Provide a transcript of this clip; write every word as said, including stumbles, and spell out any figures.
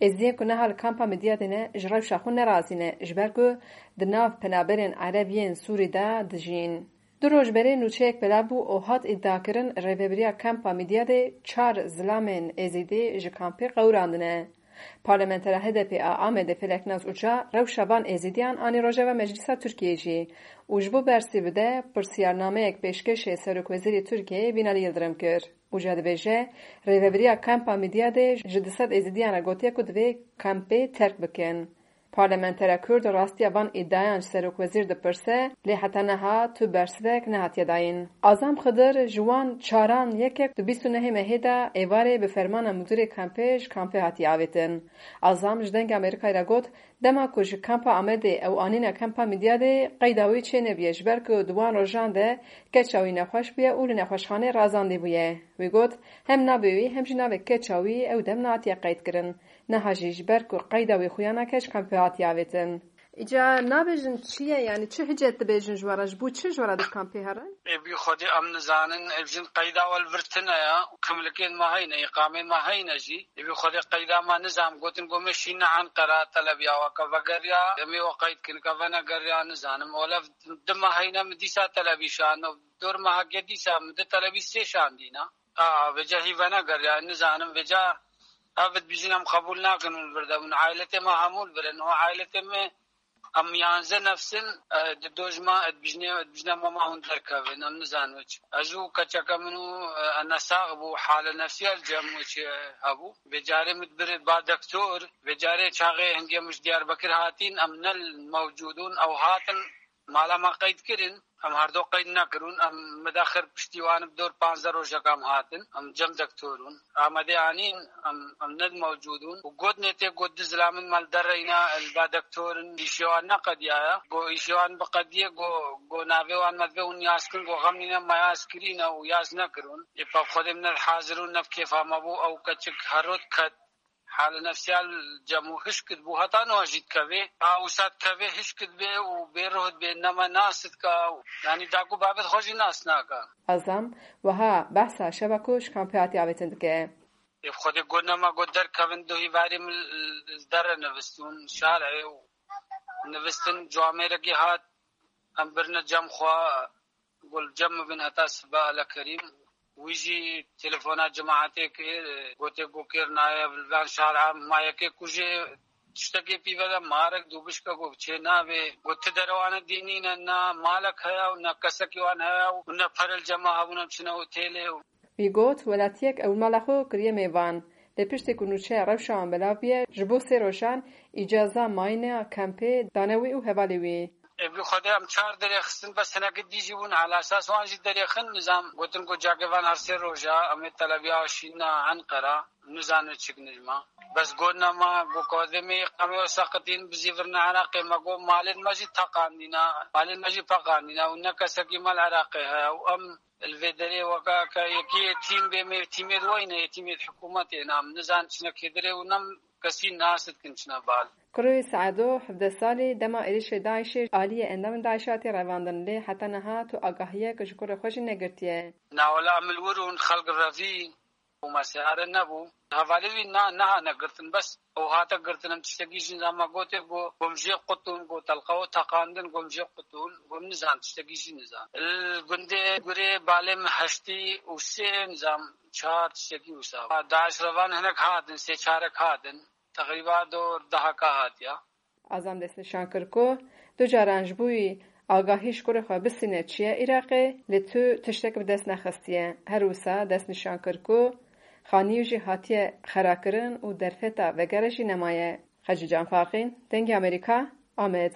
Êzidiyên ku niha li kampa Midyadê ne, ji rewşa xwe nerazî ne, ji ber ku di nav penaberên Ereb yên Sûrî de dijîn. Du roj berê nûçeyek belav bû û hat îdiakirin, rêvebiriya kampa Midyadê çar zilamên Êzidî ji kampê qewirandine. Parlamentera H D P a Amedê Feleknaz Uca rewşa van Êzidiyan anî rojeva Meclisa Tirkiyeyê jî û ji bo bersî bide, pirsiyarnameyek pêşkêşê Serokwezîrê Tirkiyeyê Binali Yildirim kir. Uca dibêje, rêvebiriya kampa Midyadê ji du sed Êzidiyan re gotiye ku divê kampê terk bikin. Parlamentera Kurd rastiya van îdiayan ji serokwezîr dipirse, lê heta niha tu bersivek nehatiye dayîn. Azam Xidir ji wan çaran yekek di bîst û nehê mehê de êvarê bi fermana mudîrê kampê ji kampê hatiye avêtin. Azam ji Dengê Amerîkayê re got, dema ku ji kampa Amedê ew anîne kampa Midyadê, qeyda wî çênebûye, ji ber ku di wan rojan de keça wî nexweş bûye û li nexweşxanê razandî bûye. Wî got, hem navê wî hem jî navê keça wî ew dem nehatiye qeydkirin. Niha jî ji ber ku qeyda wî xuya nake, ji kampê hatiye avêtin. Îca nabêjin çi ye, yanî çi hicet dibêjin ji we re, ji bo çi ji we re di kampê herin? Ê bi Xwedê em nizanin, ev jin qeyda we li vir tune ye, kimlikên me heyne, îqamên me heyne jî. Ê bi Xwedê qeyda me nizam, gotin ku me şîne Enqera, telebiya we ke vegeriya, em ê we qeyd kin, ke venegeriya nizanim. Olev di me heyne, min dîsa telebî şand, dor me heke dîsa min di telebî sê şandîna. A, vêca hî venegeriya, nizanim, vêca ev dibêjin em qebûl nakin hûn li vir de bin. Ailetê me hemû li vir in. Ho ailetê me em yanze nefs in, e, di dojma dibêjine, dibêjine mama hûn derkevin. Em nizanin wê çi. Ez û keçeke min û, e, ene sax bû, hale nefsiya li cem wê çi hebû. Vê carê min dibir ba dektor, vê carê çaxê hingê min ji Diyarbekir hatîn, em ne mewcûd ûn, ew hatin, mala me qeyd kirin, em herdo qeyd nekirûn, em midaxir piştî wan bi dor panzdeh rojeka em hatin, em cem dektorûn, Amedê anîn, em, em ne mewcûd ûn. Û got nê tê got du zilamên me li derreyna, li ba dektor in, îşê wan neqediyaye. Go îşê wan biqediye, go, go navê wan me divê hûn yaz kin, go xem nîne me yaz kirîne û yaz nekirûn. Ê pe Xwedê min ne hazir û ne bi kêfa me bû, ew keçik herot ket. Hale nefsiya li cem û hişk dibû, heta niha jî dikeve. A wisa dikeve, hişk dibe û bêruh dibe, nema nas dike. Yanî daku babet xwe jî nas nake. Azam wiha behsa şeva ku ji kampê hatiye avêtin dike. Ê Xwedê got nema got derkevin, duhî varî min li, li derre nivistûn, şarê û nivistin, camêrekî hat, em birine cem xwe, got li cem min bin heta sibe, Ele Kerîm. Wî jî telefona cemaetê kir, gotê ku kêr nayê, li van şara ma yekê kujê tiştekê pîve de marek dûbişke ku çê nabê. Got ti derewana dînî ne, ne malek heye û ne kesekî wan heye û ne pere li cema hebûn em çine otêlê û. Wî got, welatiyek ew mala xwe kiriye mêvan. Lê piştî ku nûçeya rewşa wan belav bûye, ji bo sê rojan îcaza mayîna kampê dane wî û hevalê wî. Ê bi Xwedê em çar derêxistin, bes hinekî dî jî bûn, ala esas wan jî derêxin, nizam gotin ku cakê van her sê roja, em ê telebiya şîna Enqera, nizane çik nijma. Bes got nema, got kodê me îqamê wê seqitîn, bizîvirine Iraqê, me got malên me jî teqandîne, malên me jî peqandîne û ne kesekî me li Iraqê heye û em li vê derê weke ke yekî yetîm bê, me yetîmê di weyne, yetîmê di hikûmetê ne, em nizan çine kê derê û nem kesî nas dikin çine bal. Kurê Seedo, hevdeh salî, dema êrişê DAIŞê aliyê endamên DAIŞê hatiye revandin, lê heta niha tu agahiyek ji kurê xwe jî negirtiye. Na wela em li wir ûn xelk revî û me seyare nebû. Hevalê wî na, neha negirtin, bes ew hate girtin, em tiştekî jî zama gotê ku gom jê qutûn, ku telqewo teqandin, gom jê qutûn, gom nizan, tiştekî jî nizan. Li gundê gurê balê min heştî û sê nizam çar tiştekî wisa. DAIŞ revan hinek hatin, sê çarek hatin. Teqrîba dor dehaka hatiya. Azam destnîşan kir ku du caran ji bo wî agahî ji kurê xwe bistîne çûye Iraqê, lê tu tiştek bi dest nexistiye. Her wisa destnîşan kir ku xanî wî jî hatiye xerakirin û derfeta vegere jî nemaye. Xecîcan Faqîn, Dengê Amerîka, Amed.